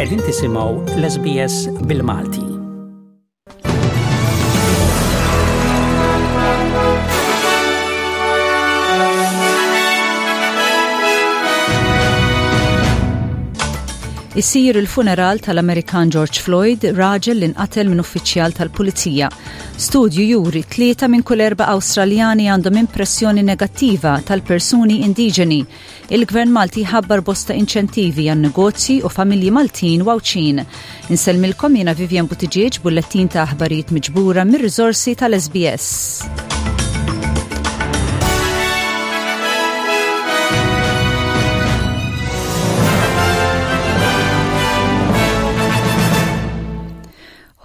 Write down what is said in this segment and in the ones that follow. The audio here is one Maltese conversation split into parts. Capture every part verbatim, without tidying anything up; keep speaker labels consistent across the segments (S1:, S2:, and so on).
S1: Qegħdin tisimgħu l-S B S bil-Malti.
S2: Isir il-funeral tal-Amerikan George Floyd, raġel li nqatel minn uffiċjal tal-pulizija. Studju juri tlieta minn kull erba' Awstraljani għandhom impressjoni negattiva tal-persuni indiġeni. Il-Gvern Malti ħabbar bosta inċentivi għan negozji u familji Maltin u Għawdxin. Insellmilkom, jiena Vivian Buttigieg, bullettin ta' aħbarijiet miġbura mir-riżorsi tal-S B S.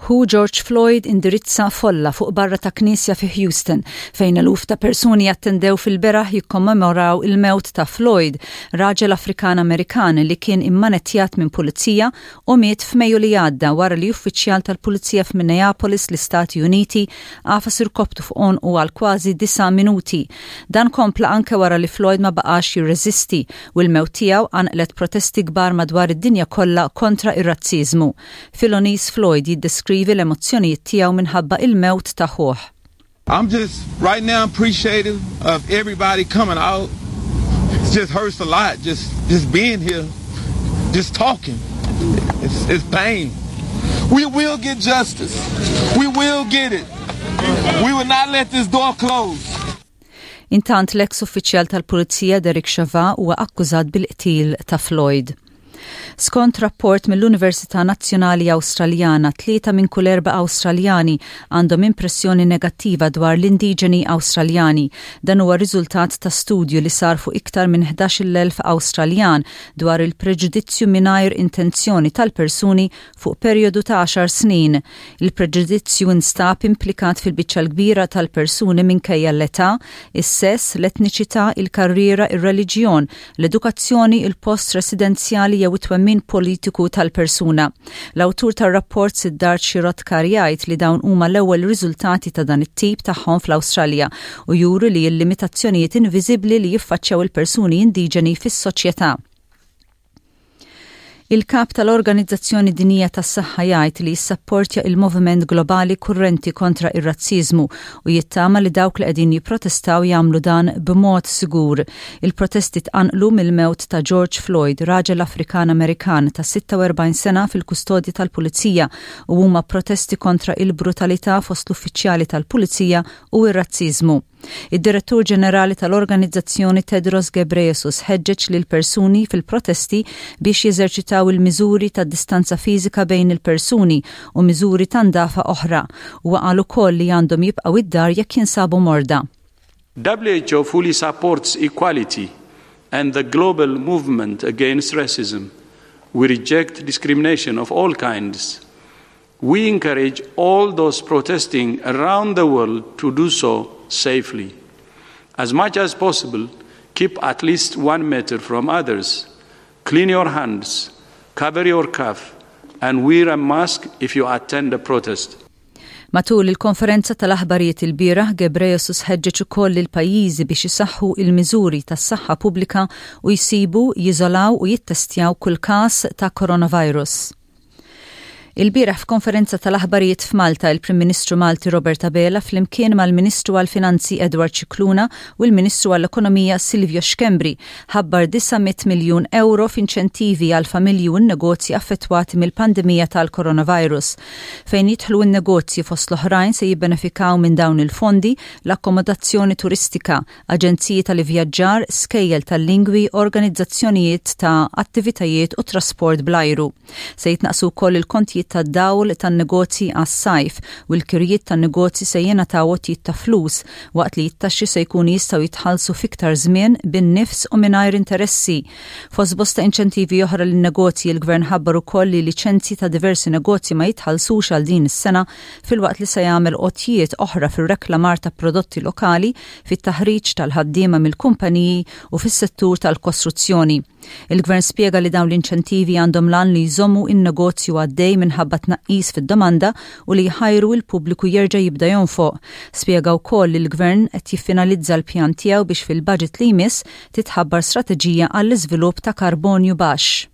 S2: Hu George Floyd indirizza folla fuq barra ta' knisja fi Houston, fejn eluf ta' persuni attendew fil-beraħ jikkommemoraw il-mewt ta' Floyd, raġel Afrikan Amerikan li kien immanettjat minn pulizija u miet f'Mejju li għadda wara li uffiċjal tal-pulizija f'Minneapolis, l-Istati Uniti, għafas irkoptu fuq u għal kważi disa' minuti. Dan kompla anke wara li Floyd ma baqax jirreżisti u l-mewt tiegħu qanqlet protesti kbar madwar id-dinja kollha kontra ir-razziżmu. Philonise Floyd jiddeskrivi l-emozzjonijiet tiegħu minħabba il-mewt ta' ħuh.
S3: I'm just right now appreciative of everybody coming out. It just hurts a lot just just being here, just talking. It's, it's pain. We will get justice. We will get it. We will not let this door close.
S2: Intant, l-ex uffiċjal tal-Pulizija Derek Chauvin huwa akkużat bil-qtil ta' Floyd. Skont rapport mill-Università Nazzjonali Awstraljana, tlieta minn kull erba' Awstraljani għandhom impressjoni negattiva dwar l-indiġeni Awstraljani. Dan huwa riżultat ta' studju li sar fuq iktar minn ħdax-il elf Awstraljan dwar il-preġudizzju mingħajr intenzjoni tal-persuni fuq perjodu ta' għaxar snin. Il-preġudizzju instab implikat fil-biċċa l-kbira tal-persuni minkejja l-età, is-sess, l-etniċità, il-karriera, ir-reliġjon, l-edukazzjoni, il-post residenzjali jew it-twemmin politiku tal-persuna. L-awtur tar-rapport, Siddharth Shirodkar, jgħid li dawn huma l-ewwel riżultati ta' dan it-tip tagħhom fl-Awstralja u juru li l-limitazzjonijiet inviżibbli li jiffaċċjaw il-persuni indiġeni fis-soċjetà. Il-kap tal-Organizzazzjoni Dinjija tas-Saħħa jgħid li jissapportja il-moviment globali kurrenti kontra ir-razzizmu u jittama li dawk li qegħdin jipprotestaw jagħmlu dan b'mod sigur. Il-protesti tqanqlu mill-mewt ta' George Floyd, raġel Afrikan Amerikan ta' sitta u erbgħin sena fil-kustodja tal-pulizija, u huma protesti kontra il-brutalità fost l-uffiċjali tal-pulizija u ir-razzizmu. Id-Direttur Ġenerali tal-Organizzazzjoni, Tedros Ghebreyesus, ħeġġeġ lil persuni fil-protesti biex jeżerċitaw il-miżuri ta' distanza fiżika bejn il-persuni u miżuri ta' ndafa oħra, u qal ukoll li għandhom jibqgħu id-dar jekk jinsabu morda.
S4: W H O fully supports equality and the global movement against racism. We reject discrimination of all kinds. We encourage all those protesting around the world to do so safely. As much as possible, keep at least one meter from others. Clean your hands, cover your cough, and wear a mask if you attend a protest.
S2: Matul il-konferenza tal-aħbarijiet il-bieraħ, Ghebreyesus ħeġġeġ ukoll il-pajjiżi biex isaħħu il-miżuri tas-saħħa pubblika u jsibu, jiżolaw u jittestjaw kull każ ta' coronavirus. Il-bieraħ, f'konferenza tal-aħbarijiet f'Malta, il-Prim Ministru Malti Robert Abela flimkien mal-Ministru għall-Finanzi Edward Scicluna u l-Ministru għall-Ekonomija Silvio Schembri ħabbar disa' mitt miljun euro f'inċentivi għal familji u n-negozji affettwati mill-pandemija tal-coronavirus. Fejn jidħlu n-negozji, fost l-oħrajn se jibbenefikaw minn dawn il-fondi l-akkomodazzjoni turistika, aġenziji tal-ivvjaġġar, skejjel tal-lingwi, organizzazzjonijiet ta' attivitajiet u trasport bl-ajru. Se jitnaqsu wkoll il-kontijiet tad-dawl tan-negozji għas-sajf u l-kirjiet tan-negozji se jingħataw għotjiet ta' flus, waqt li t-taxxi se jkunu jistgħu jitħallsu fiktar żmien, bin-nifs u mingħajr interessi. Fost bosta inċentivi oħra lin-negozji, il-Gvern ħabbar ukoll li liċenzji ta' diversi negozji ma jitħallsux għal din is-sena, filwaqt li se jagħmel għotjiet oħra fir-reklamar ta' prodotti lokali, fit-taħriġ tal-ħaddiema mill-kumpaniji u fis-settur tal-kostruzzjoni. Il-Gvern spjega li dawn l-inċentivi għandhom l-għan li jżommu in-negozju għaddej minħabba tnaqqis fid-domanda u li jħajru il-pubbliku jerġa' jibda jonfoq. Spjega wkoll li l-Gvern qed jiffinalizza l-pjan tiegħu biex fil-budget li jmiss titħabbar strateġija għall-iżvilupp ta' karbonju baxx.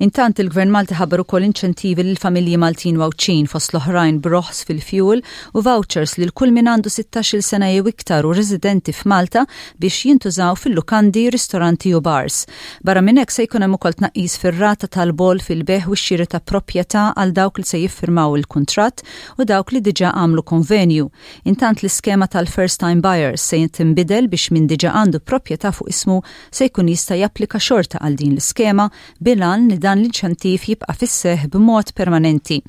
S2: Intant, il-Gvern Malti ħabbar ukoll inċentivi lil familji Maltin u Għawdxin, fost l-oħrajn b'roħs fil-fuel u vouchers lil kull min għandu sittax-il sena jew iktar u residenti f'Malta biex jintużaw fil-lukandi, ristoranti u bars. Barra minn hekk, se jkun hemm ukoll tnaqqis fir-rata tal-boll fil-bejgħ u x-xiri ta' proprjetà għal dawk li se jiffirmaw il-kuntratt u dawk li diġà għamlu konvenju. Intant, l-iskema tal-first time buyers se tinbidel biex min diġà għandu proprjetà fuq ismu se jkun jista' japplika xorta għal din l-iskema, bil-għan li dan l-inċentiv jibqa' fis-seħ b'mod permanenti.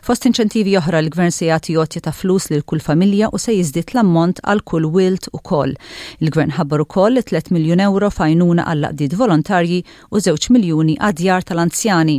S2: Fost inċentivi oħra, l-gvern se jagħti għotja ta' flus lil kull familja u se jiżdied l-ammont għal kull wild ukoll. Il-gvern ħabbar ukoll tliet miljun euro f'għajnuna għall għaqdiet volontarji u żewġ miljuni għad-djar tal-anzjani.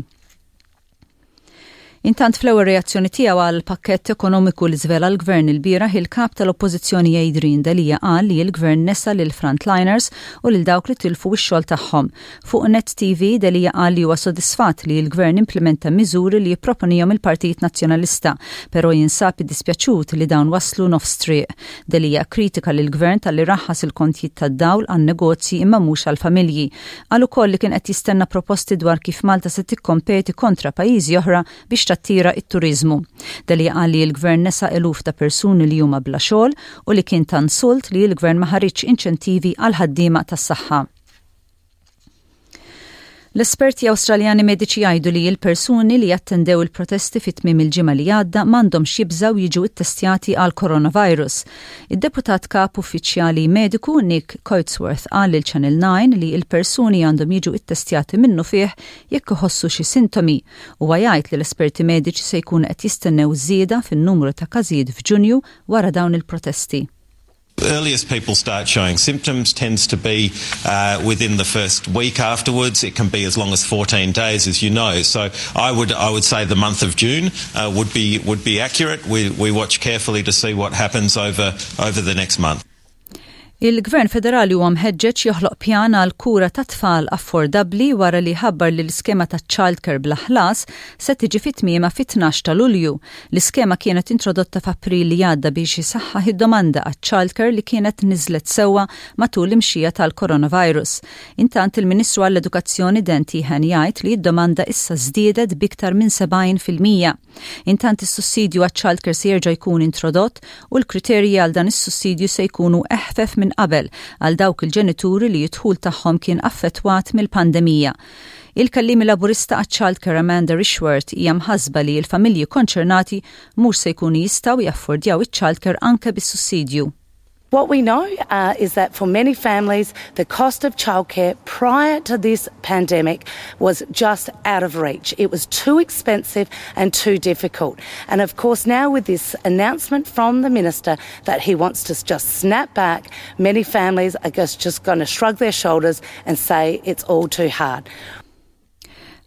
S2: Intant, fl-ewwel reazzjoni tiegħu għal pakkett ekonomiku li żvela l-gvern il-bieraħ, il-kap tal-Oppożizzjoni Adrian Delia qal li l-gvern nesa lil frontliners u lil dawk li tilfu x-xogħol tagħhom. Fuq Net T V, Delia qal li huwa sodisfatt li l-gvern implementa miżuri li jipproponihom il-Partit Nazzjonalista, però jinsab iddispjaċut li dawn waslu nofs triq. Delia kritika lil gvern talli raħħas il-kontijiet tad-dawl għan-negozji imma mhux għall-familji. Qal ukoll li kien qed jistenna proposti dwar kif Malta se tikkompeti kontra pajjiżi oħra biex tattira it-turizmu. Delia qal li l-gvern nesa eluf ta' persuni li huma bla xogħol u li kien ta' insult li l-gvern ma ħariġx inċentivi għal ħaddiema tas-saħħa. L-esperti Awstraljani mediċi jgħidu li l-persuni li jattendew il-protesti fit tmiem il-ġimgħa li għadda m'għandhomx jibżaw jiġu ittestjati għal coronavirus. Id-deputat kap uffiċjali mediku Nick Coatsworth qal lil Channel nine li l-persuni għandhom jiġu ittestjati minnufih jekk iħossu xi sintomi. U jgħid li l-esperti mediċi se jkunu qed jistennew żieda fin-numru ta' każijiet f'Ġunju wara dawn il-protesti.
S5: The earliest people start showing symptoms tends to be uh, within the first week afterwards. It can be as long as fourteen days, as you know. So I would I would say the month of June uh, would be would be accurate. We, we watch carefully to see what happens over over the next month.
S2: Il-Gvern Federali huwa mħeġġeġ joħloq pjan għal kura ta' tfal affordabbli wara li ħabbar li l-iskema ta' childcare bla ħlas se tiġi fit-tmiema fit-tnax ta' Lulju. L-iskema kienet introdotta f'April li għadda biex isaħħaħ id-domanda għat childcare li kienet niżlet sewwa matul l-imxija tal-coronavirus. Intant, il-Ministru għall-Edukazzjoni Dan Tehan jgħid li d-domanda issa żdiedet biktar minn sebgħin fil-mija. Intant, is-sussidju għat childcare se jerġa' jkun introdott u l-kriterji għal dan is-sussidju se jkunu eħfef minn qabel għal dawk il-ġenituri li d-dħul tagħhom kien affettwat mill-pandemija. Il-kelliem Laburista għat-childcare Amanda Rishworth hija mħasba li l-familji konċernati mhux se jkunu jistgħu jaffordjaw iċ-childcare anke bis-sussidju.
S6: What we know uh, is that for many families, the cost of childcare prior to this pandemic was just out of reach. It was too expensive and too difficult. And of course, now with this announcement from the minister that he wants to just snap back, many families are just, just going to shrug their shoulders and say it's all too hard.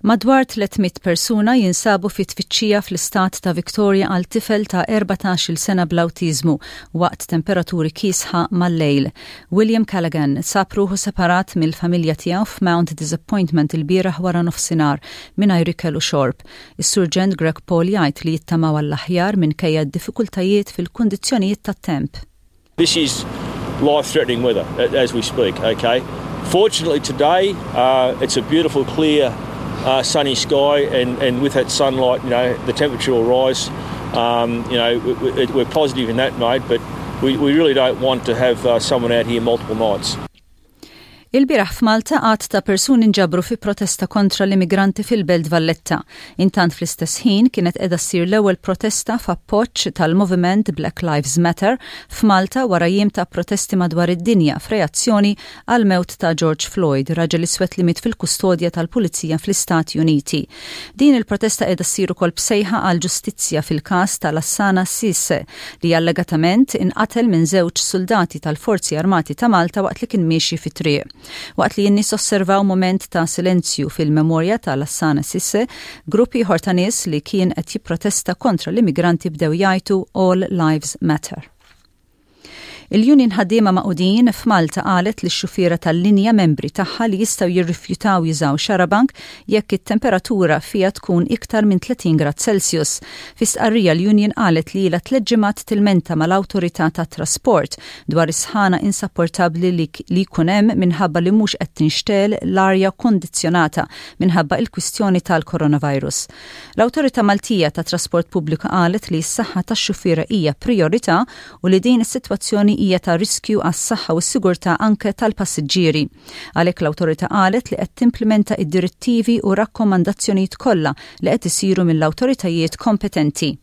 S2: Madwar tliet mitt persuna jinsabu fi tfittxija fl-istat ta' Victoria għal tifel ta' erbatax-il sena bl-awtiżmu waqt temperaturi kiesħa mal-lejl. William Callaghan sab ruħu separat mill-familja tiegħu f'Mount Disappointment il-bieraħ wara nofsinhar mingħajr ikel u xorb. Is-Surġent Greg Paul jgħid li jittamaw għall-aħjar minkejja d-diffikultajiet fil-kundizzjonijiet tat-temp.
S7: This is life-threatening weather as we speak, okay? Fortunately today, uh, it's a beautiful, clear, uh, sunny sky, and, and with that sunlight, you know, the temperature will rise. Um, you know, we, we're positive in that mode, but we, we really don't want to have uh, someone out here multiple nights.
S2: Il-bieraħ f'Malta għadd ta' persuni nġabru fi protesta kontra l-immigranti fil-Belt Valletta. Intant, fl-istess ħin kienet qiegħda ssir l-ewwel protesta f'appoġġ tal-moviment Black Lives Matter f'Malta wara jiem ta' protesti madwar id-dinja f'reazzjoni għal mewt ta' George Floyd, raġel iswed li miet fil-kustodja tal-Pulizija fl-Istati Uniti. Din il-protesta qiegħda ssir ukoll b'sejħa għal ġustizzja fil-każ tal-Assana Sisse, li allegatament inqatel minn żewġ soldati tal-Forzi Armati ta' Malta waqt li kien miexi fit-triq. Waqt li n-nies osservaw moment ta' silenzju fil-memorja tal-Assana Sisse, gruppi ieħor ta' nies li kien qed jipprotesta kontra l-immigranti bdew jgħidu "All Lives Matter". Il-Union Ħaddiema Magħqudin f'Malta qalet li x-xufiera tal-linja membri tagħha li jistgħu jirrifjutaw jużaw xarabank jekk it-temperatura fiha tkun iktar minn tletin grad Celsius. Fi stqarrija, l-Union qalet li ilha tliet ġimgħat tilmenta mal-Awtorità tat-Trasport dwar is-sħana insapportabbli li jkun hemm minħabba li mhux qed tinxtegħel l-arja kondizzjonata minħabba il-kwistjoni tal-coronavirus. L-Awtorità Maltija ta' Trasport Pubbliku qalet li s-saħħa tax-xufiera hija priorità u li din is-sitwazzjoni hija ta' riskju għas-saħħa u s-sigurtà anke tal-passiġġieri. Għalhekk l-awtorità qalet li qed timplementa id-direttivi u rakkomandazzjonijiet kollha li qed isiru mill-awtoritajiet kompetenti.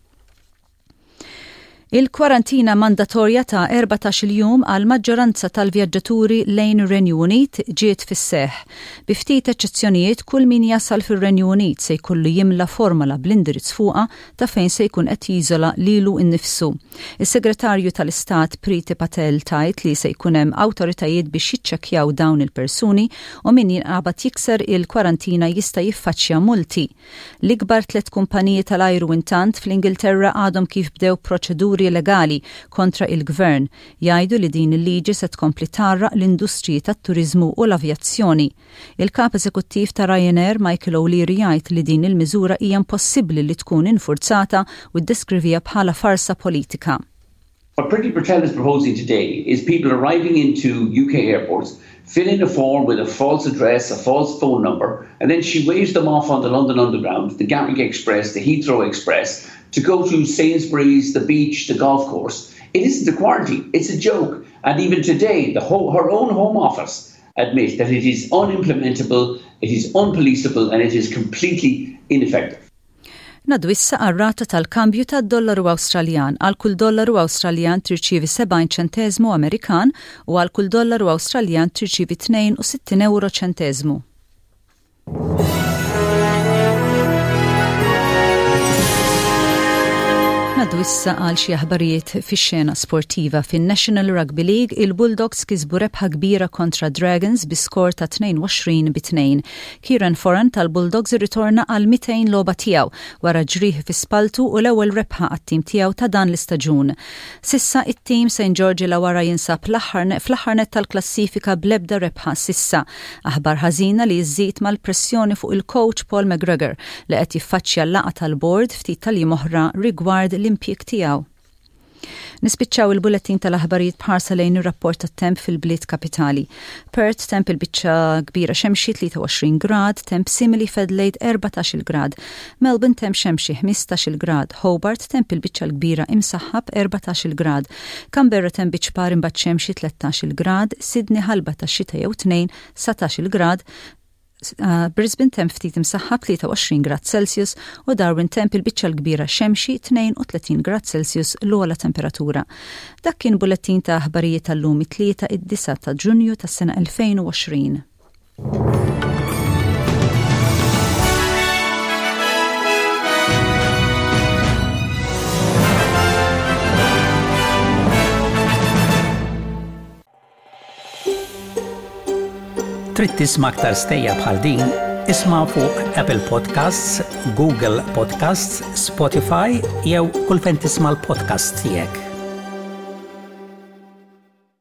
S2: Il-kwarantina mandatorja ta' erbatax-il jum għal maġġoranza tal-vjaġġaturi lejn ir-Renju Unit ġiet fis-seħ. Bi ftit eċċezzjonijiet, kull min jasal fir-Renju Unit se jkollu jimla formola bl-indirizz fuqha ta' fejn se jkun qed jiżola lilu innifsu. Is-Segretarju tal-Istat Priti Patel tgħid li se jkun hemm awtoritajiet biex jiċċekkjaw dawn il-persuni u min jinqabad jikser il-kwarantina jista' jiffaċċja multi. L-ikbar tliet kumpaniji tal-ajru intant fl-Ingilterra għadhom kif bdew proċeduri legali kontra il-gvern. Jgħidu li din il-liġi se tkompli tgħarraq l-industriji tat-turizmu u l-avjazzjoni. Il-kap eżekuttiv ta' Ryanair, Michael O'Leary, jgħid li din il-miżura hija impossibbli li tkun infurzata u ddeskrivieha bħala farsa politika.
S8: What Priti Patel is proposing today is people arriving into U K airports, fill in a form with a false address, a false phone number, and then she waves them off on the London Underground, the Gatwick Express, the Heathrow Express, to go to Sainsbury's, the beach, the golf course. It isn't a quarantine, it's a joke. And even today, the whole, her own Home Office admit that it is unimplementable, it is unpoliceable, and it is completely ineffective.
S2: Ngħaddu issa għar-rata tal-kambju tad-dollaru Awstraljan. Għal kull dollaru Awstraljan tirċievi sebgħin ċentesmu Amerikan u għal kull dollaru Awstraljan tirċievi tnejn u sittin euro ċentesmu. Ngħaddu issa għal xi aħbarijiet fix-xena sportiva. Fin-National Rugby League, il-Bulldogs kisbu rebħa kbira kontra Dragons bi skor ta' tnejn u għoxrin bi tnejn. Kieran Foran tal-Bulldogs irritorna għal mitejn logħba tiegħu wara ġrieħ fi spaltu u l-ewwel rebħa għat-tim tiegħu ta' dan l-istaġun. S'issa it-tim Saint George Illawarra jinsab fl-aħħar net tal-klassifika bl-ebda rebħa s'issa. Aħbar ħażina li żżid mal-pressjoni fuq il-coach Paul McGregor li qed jiffaċċja l-laqgħa tal-board ftit tal-jiem oħra rigward l-impjieg tiegħu. Nispiċċaw il-bulletin tal-aħbarijiet b'ħarsa lejn ir-rapport tat-temp fil-bliet kapitali. Perth, temp il-biċċa kbira xemxi, tlieta u għoxrin grad, temp simili f'Adelaide, erbatax-il grad. Melbourne, temp xemxi, ħmistax-il grad, Hobart, temp il-biċċa kbira imsaħħab, erbatax-il grad. Canberra, temp biċ-ċpar imbagħad xemxi, tlettax-il grad, Sydney ħalba ta' xita jew tnejn, dsatax-il grad, Uh, Brisbane temp ftit imsaħħab, tlieta u għoxrin grad Celsius u Darwin temp il-biċċa l-kbira xemxi, tnejn u tletin grad Celsius l-ogħla temperatura. Dak kien bullettin ta' aħbarijiet tal-lum, it-Tlieta, id-disgħa ta' Ġunju tas-sena elfejn u għoxrin.
S1: Trid tisma' aktar stejjer bħal din? Isma' fuq Apple Podcasts, Google Podcasts, Spotify jew kull fejn tisma' l-podcast tiegħek.